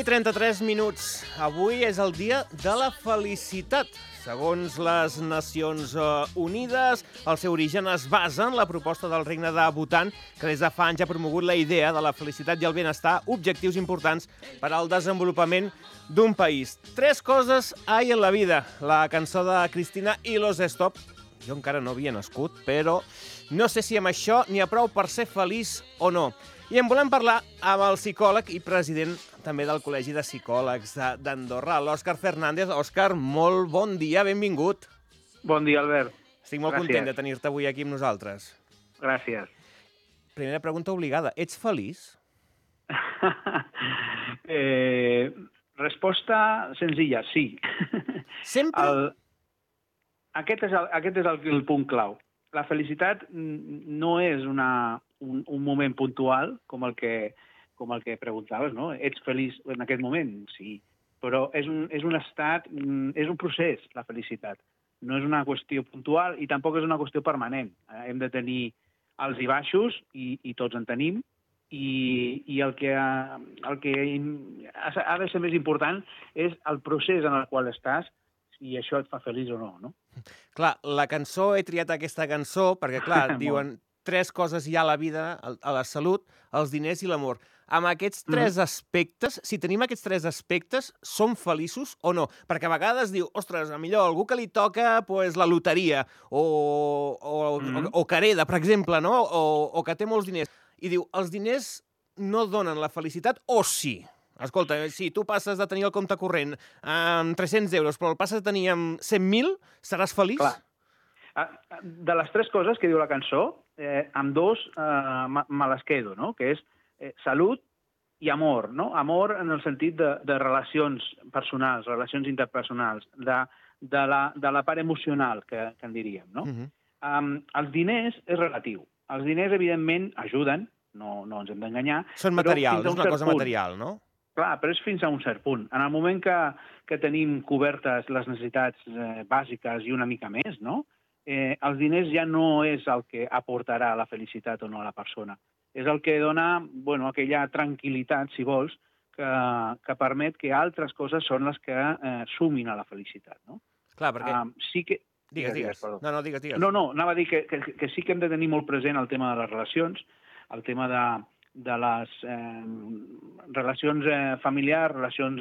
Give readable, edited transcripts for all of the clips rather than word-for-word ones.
11:33. Avui és el dia de la felicitat. Segons les Nacions Unides, el seu origen es basa en la proposta del Regne de Bhutan, que des de fa anys ha promogut la idea de la felicitat i el benestar, objectius importants per al desenvolupament d'un país. 3 coses hay en la vida. La cançó de Cristina i los Stop. Jo encara no havia nascut, però no sé si amb això n'hi ha prou per ser feliç o no. I en volem parlar amb el psicòleg i president també del Col·legi de Psicòlegs d'Andorra, l'Òscar Fernández. Òscar, molt bon dia, benvingut. Bon dia, Albert. Estic molt content de tenir-te avui aquí amb nosaltres. Gràcies. Primera pregunta obligada. Ets feliç? Resposta senzilla, sí. Sempre? Aquest és el punt clau. La felicitat no és un moment puntual, com el que preguntaves, no? Ets feliç en aquest moment? Sí. Però és un estat, és un procés, la felicitat. No és una qüestió puntual i tampoc és una qüestió permanent. Hem de tenir alts i baixos, i tots en tenim, i el que ha de ser més important és el procés en el qual estàs, i això et fa feliç o no, no? Clar, la cançó, he triat aquesta cançó perquè, clar, diuen 3 coses hi ha a la vida, a la salut, els diners i l'amor. Amb aquests 3 aspectes, si tenim aquests 3 aspectes, som feliços o no? Perquè a vegades diu, ostres, millor algú que li toca la loteria o que hereda, per exemple, no? O que té molts diners. I diu, els diners no donen la felicitat o sí? Escolta, si tu passes de tenir el compte corrent amb 300 euros, però el passes de tenir amb 100.000, seràs feliç? Clar. De les 3 coses que diu la cançó, amb 2 me les quedo, no? Que és salut i amor, no? Amor en el sentit de relacions personals, relacions interpersonals, de la part emocional, que en diríem, no? Els diners és relatiu. Els diners, evidentment, ajuden, no ens hem d'enganyar. Són materials, és una cosa material, no? Clar, però és fins a un cert punt. En el moment que tenim cobertes les necessitats bàsiques i una mica més, no? Els diners ja no és el que aportarà la felicitat o no a la persona. És el que dona, aquella tranquil·litat, si vols, que permet que altres coses són les que sumin a la felicitat, no? Clar, perquè... Sí que... Digues. No, digues. No, anava a dir que sí que hem de tenir molt present el tema de les relacions, el tema de les relacions familiars, relacions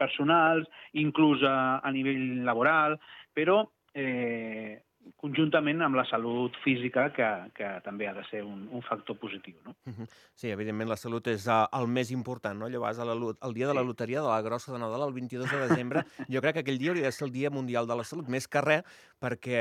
personals, inclús a nivell laboral, però conjuntament amb la salut física, que també ha de ser un factor positiu, no? Sí, evidentment la salut és el més important, no? Allò vas el dia de la loteria, de la grossa de Nadal, el 22 de desembre, jo crec que aquell dia hauria de ser el Dia Mundial de la Salut, més que res, perquè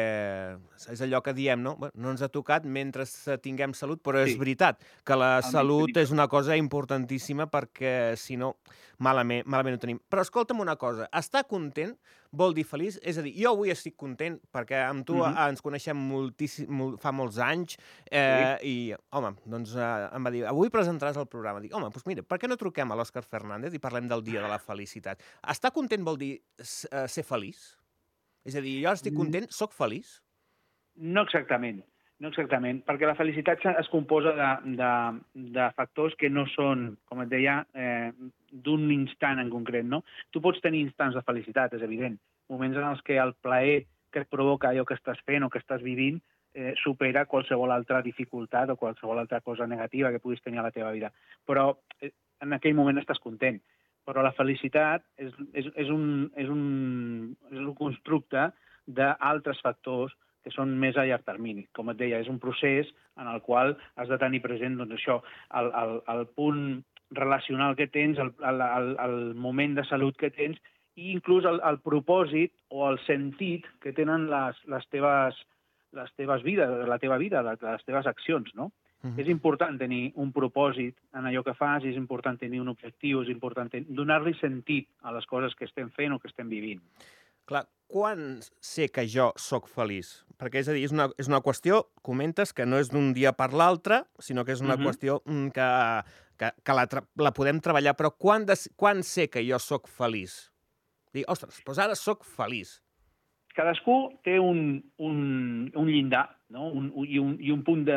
és allò que diem, no? No ens ha tocat mentre tinguem salut, però és veritat que la salut és una cosa importantíssima perquè, si no, malament ho tenim. Però escolta'm una cosa, estar content vol dir feliç? És a dir, jo avui estic content perquè amb tu ens coneixem fa molts anys i, home, doncs em va dir, avui presentaràs el programa. Dic, home, doncs mira, per què no truquem a l'Òscar Fernández i parlem del Dia de la Felicitat? Estar content vol dir ser feliç? És a dir, jo estic content, soc feliç? No exactament, perquè la felicitat es composa de factors que no són, com et deia, d'un instant en concret, no? Tu pots tenir instants de felicitat, és evident, moments en els que el plaer que et provoca allò que estàs fent o que estàs vivint supera qualsevol altra dificultat o qualsevol altra cosa negativa que puguis tenir a la teva vida. Però en aquell moment estàs content. Però la felicitat és un constructe d'altres factors que són més a llarg termini. Com et deia, és un procés en el qual has de tenir present això, el punt relacional que tens, el moment de salut que tens, i inclús el propòsit o el sentit que tenen les teves vides, la teva vida, les teves accions, no? És important tenir un propòsit en allò que fas, és important tenir un objectiu, és important donar-li sentit a les coses que estem fent o que estem vivint. Clar, quan sé que jo sóc feliç? Perquè, és a dir, és una qüestió, comentes, que no és d'un dia per l'altre, sinó que és una qüestió que la podem treballar, però quan sé que jo sóc feliç? Dic, ostres, doncs ara sóc feliç. Cadascú té un llindar, no? I un punt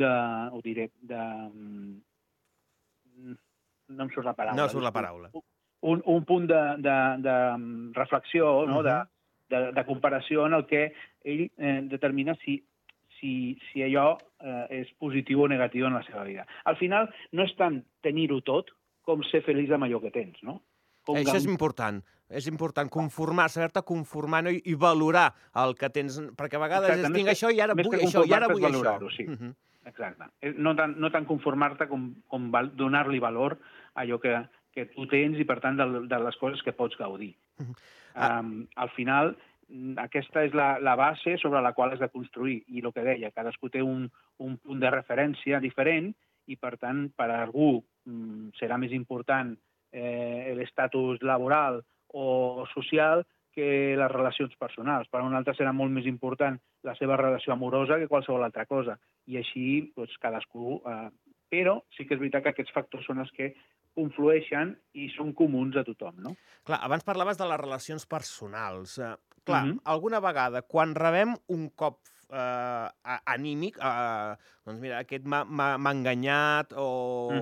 ho diré, no em surt la paraula. No surt la paraula. Un punt de reflexió, no? de comparació en el que ell determina si allò és positiu o negatiu en la seva vida. Al final, no és tant tenir-ho tot com ser feliç amb allò que tens, no? Això és important. És important conformar, saber-te conformar, no? I valorar el que tens, perquè a vegades tinc això i ara vull això, i ara vull això. Sí. Exacte. No tant conformar-te com donar-li valor a allò que tu tens i, per tant, de les coses que pots gaudir. Al final, aquesta és la base sobre la qual has de construir. I el que deia, cadascú té un punt de referència diferent i, per tant, per a algú serà més important l'estatus laboral o social que les relacions personals. Per a un altre serà molt més important la seva relació amorosa que qualsevol altra cosa. I així, doncs, cadascú... Però sí que és veritat que aquests factors són els que conflueixen i són comuns a tothom, no? Clar, abans parlaves de les relacions personals. Clar, alguna vegada, quan rebem un cop anímic, doncs mira, aquest m'ha enganyat, o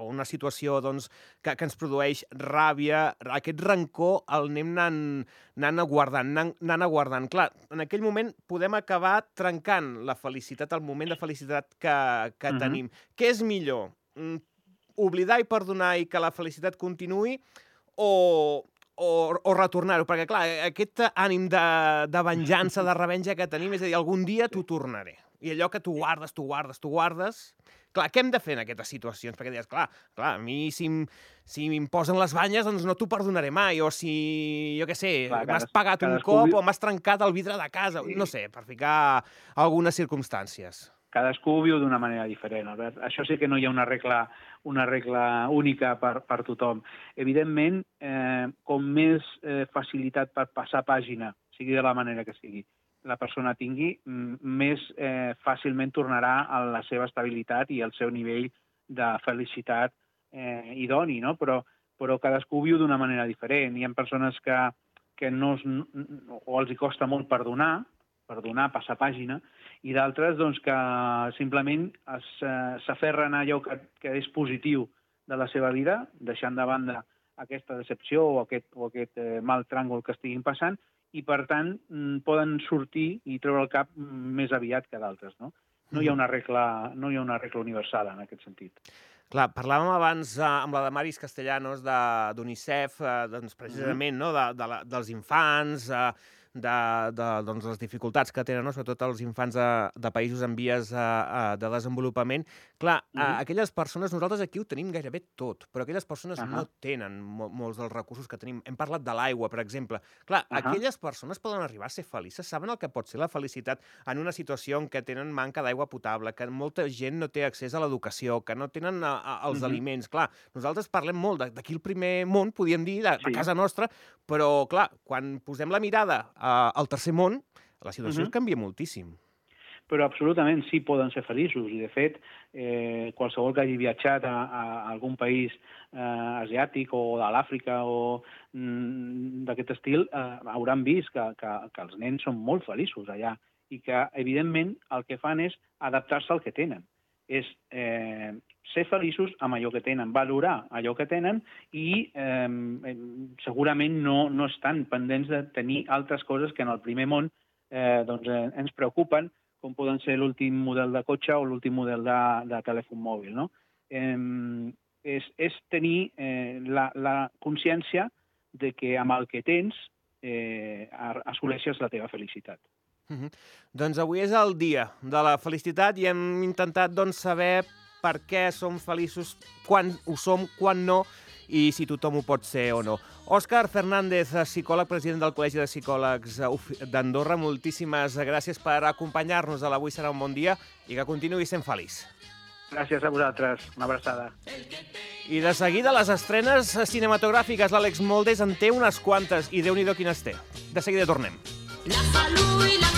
una situació doncs, que ens produeix ràbia, aquest rancor el anem anant aguardant. Clar, en aquell moment podem acabar trencant la felicitat, el moment de felicitat que tenim. Què és millor? Oblidar i perdonar i que la felicitat continuï, o retornar-ho? Perquè, clar, aquest ànim de venjança, de revenja que tenim, és a dir, algun dia t'ho tornaré. I allò que tu guardes... Clar, què hem de fer en aquestes situacions? Perquè dius, clar, a mi si m'imposen les banyes, doncs no t'ho perdonaré mai. O si, jo què sé, m'has pagat un cop o m'has trencat el vidre de casa. No sé, per ficar algunes circumstàncies. Cadascú viu d'una manera diferent, Albert. Això sí que no hi ha una regla única per tothom. Evidentment, com més facilitat per passar pàgina, sigui de la manera que sigui, la persona tingui, més fàcilment tornarà a la seva estabilitat i al seu nivell de felicitat idoni, no? Però cadascú viu d'una manera diferent. Hi ha persones que o els hi costa molt perdonar, passar pàgina, i d'altres doncs, que simplement s'aferren a allò que és positiu de la seva vida, deixant de banda aquesta decepció o aquest mal tràngol que estiguin passant, i per tant poden sortir i treure el cap més aviat que d'altres. No hi ha una regla universal en aquest sentit. Clar, parlàvem abans amb la Damaris Castellanos d'UNICEF, doncs precisament dels infants, de les dificultats que tenen, sobretot els infants de països en vies de desenvolupament. Clar, aquelles persones, nosaltres aquí ho tenim gairebé tot, però aquelles persones no tenen molts dels recursos que tenim. Hem parlat de l'aigua, per exemple. Clar, aquelles persones poden arribar a ser felices, saben el que pot ser la felicitat en una situació en què tenen manca d'aigua potable, que molta gent no té accés a l'educació, que no tenen els aliments. Clar, nosaltres parlem molt d'aquí el primer món, podríem dir, de casa nostra, però, clar, quan posem la mirada al tercer món, la situació canvia moltíssim. Però absolutament sí poden ser feliços, i de fet qualsevol que hagi viatjat a algun país asiàtic o de l'Àfrica o d'aquest estil hauran vist que els nens són molt feliços allà i que evidentment el que fan és adaptar-se al que tenen. És ser feliços amb allò que tenen, valorar allò que tenen i segurament no estan pendents de tenir altres coses que en el primer món ens preocupen, com poden ser l'últim model de cotxe o l'últim model de telèfon mòbil. No? És tenir la consciència de que amb el que tens assoleixes la teva felicitat. Doncs avui és el dia de la felicitat i hem intentat saber per què som feliços, quan ho som, quan no, i si tothom ho pot ser o no. Òscar Fernández, psicòleg, president del Col·legi de Psicòlegs d'Andorra, moltíssimes gràcies per acompanyar-nos a l'Avui serà un bon dia i que continuï sent feliç. Gràcies a vosaltres. Una abraçada. I de seguida les estrenes cinematogràfiques. L'Àlex Moldes en té unes quantes i Déu-n'hi-do quines té. De seguida tornem. La salut i la